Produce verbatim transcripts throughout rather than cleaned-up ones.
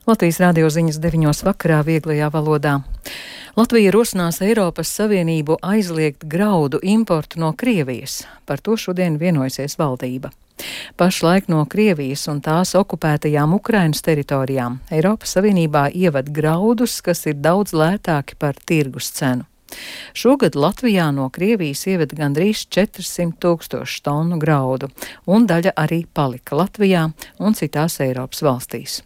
Latvijas radio ziņas deviņos vakarā vieglajā valodā. Latvija rosinās Eiropas Savienību aizliegt graudu importu no Krievijas. Par to šodien vienojusies valdība. Pašlaik no Krievijas un tās okupētajām Ukrainas teritorijām Eiropas Savienībā ieved graudus, kas ir daudz lētāki par tirgus cenu. Šogad Latvijā no Krievijas ieveda gandrīz četrsimt tūkstošu tonu graudu, un daļa arī palika Latvijā un citās Eiropas valstīs.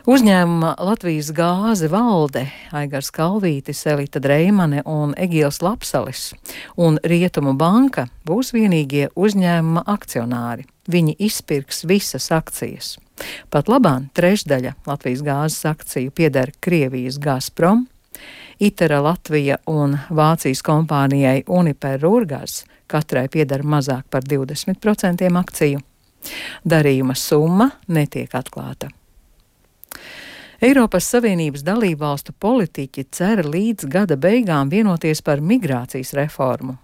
Uzņēmuma Latvijas gāze valde Aigars Kalvītis, Elita Dreimane un Egils Lapsalis un Rietumu banka būs vienīgie uzņēmuma akcionāri. Viņi izpirks visas akcijas. Pat labāk trešdaļa Latvijas gāzes akciju pieder Krievijas Gazprom, Itera Latvija un Vācijas kompānijai Uniper Rurgaz katrai pieder mazāk par divdesmit procentiem akciju. Darījuma summa netiek atklāta. Eiropas Savienības dalībvalstu politiķi cer līdz gada beigām vienoties par migrācijas reformu.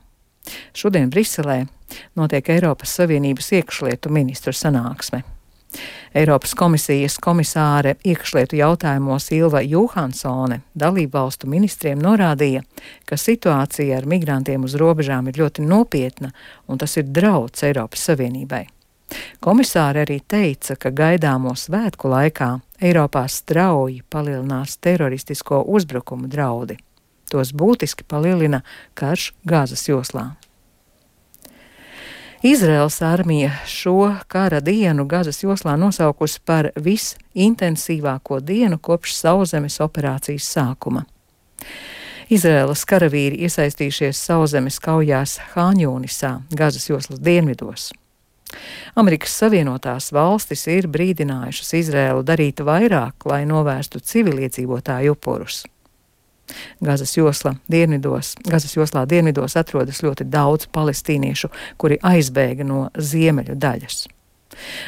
Šodien Briselē notiek Eiropas Savienības iekšlietu ministru sanāksme. Eiropas komisijas komisāre iekšlietu jautājumos Ilva Johansone dalībvalstu ministriem norādīja, ka situācija ar migrantiem uz robežām ir ļoti nopietna un tas ir drauds Eiropas Savienībai. Komisāre arī teica, ka gaidāmo svētku laikā Eiropā strauji palielinās teroristisko uzbrukumu draudi. Tos būtiski palielina karš Gazas joslā. Izraels armija šo kara dienu Gazas joslā nosaukusi par visintensīvāko dienu kopš sauszemes operācijas sākuma. Izraēlas karavīri iesaistījušies sauszemes kaujās Hāņūnisā, Gazas joslas dienvidos. Amerikas Savienotās valstis ir brīdinājušas Izraēlu darīt vairāk, lai novērstu civiliedzīvotāju upurus. Gazas josla dienvidos, Gazas joslā dienvidos atrodas ļoti daudz palestīniešu, kuri aizbēga no ziemeļu daļas.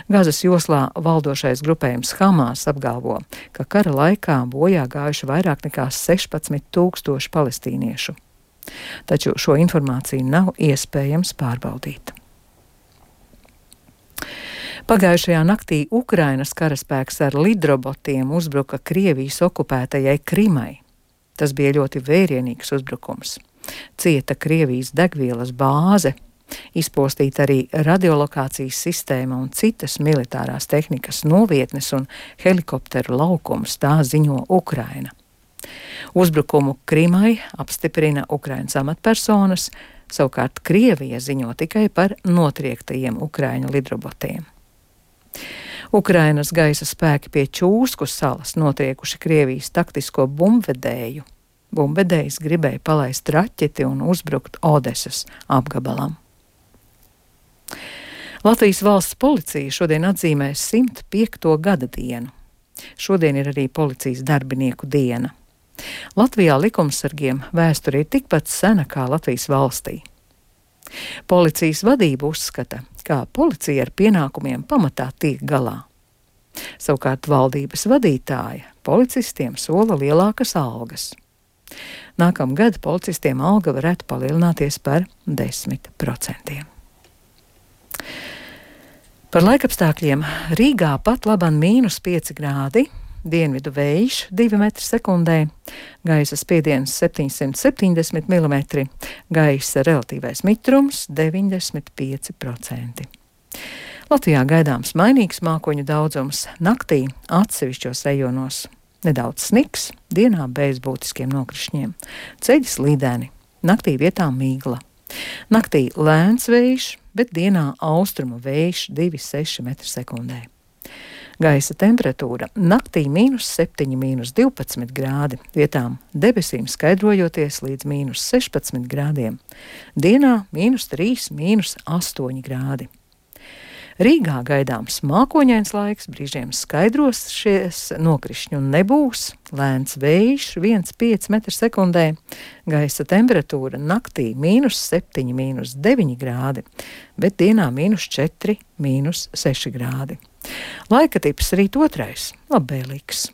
Gazas joslā valdošais grupējums Hamas apgalvo, ka kara laikā bojā gājuši vairāk nekā sešpadsmit tūkstoši palestīniešu. Taču šo informāciju nav iespējams pārbaudīt. Pagājušajā naktī Ukrainas karaspēks ar lidrobotiem uzbruka Krievijas okupētajai Krimai. Tas bija ļoti vērienīgs uzbrukums. Cieta Krievijas degvielas bāze, izpostīta arī radiolokācijas sistēma un citas militārās tehnikas novietnes un helikopteru laukums, tā ziņo Ukraina. Uzbrukumu Krimai apstiprina Ukrainas amatpersonas, savukārt Krievija ziņo tikai par notriektajiem Ukraiņu lidrobotiem. Ukrainas gaisa spēki pie Čūsku salas notriekuši Krievijas taktisko bumbvedēju. Bumbvedējs gribēja palaist raķeti un uzbrukt Odesas apgabalam. Latvijas valsts policija šodien atzīmē simt piekto gada dienu. Šodien ir arī policijas darbinieku diena. Latvijā likumsargiem vēsture ir tikpat sena kā Latvijas valstī. Policijas vadība uzskata, ka policija ar pienākumiem pamatā tiek galā. Savukārt valdības vadītāja policistiem sola lielākas algas. Nākamgad policistiem alga varētu palielināties par desmit procentiem. Par laikapstākļiem Rīgā pat laban mīnus pieci grādi, dienvidu vējš divi metri sekundē, gaisa spiediens septiņsimt septiņdesmit milimetri, gaisa relatīvais mitrums deviņdesmit pieci procenti. Latvijā gaidāms mainīgs mākoņu daudzums, naktī atsevišķos rajonos nedaudz sniks, dienā bez būtiskiem nokrišņiem, ceļi slīdeni, naktī vietām mīgla. Naktī lēns vējš, bet dienā austrumu vējš divi seši metri sekundē. Gaisa temperatūra naktī mīnus septiņi, mīnus divpadsmit grādi, vietām debesīm skaidrojoties līdz mīnus sešpadsmit grādiem. Dienā mīnus trīs, mīnus astoņi grādi. Rīgā gaidāms mākoņains laiks, brīžiem skaidros šies nokrišņu nebūs, lēns vējš viens pieci metri sekundē, gaisa temperatūra naktī mīnus septiņi, mīnus deviņi grādi, bet dienā mīnus četri, mīnus seši grādi. Laika tips rīt otrais, labvēlīgs.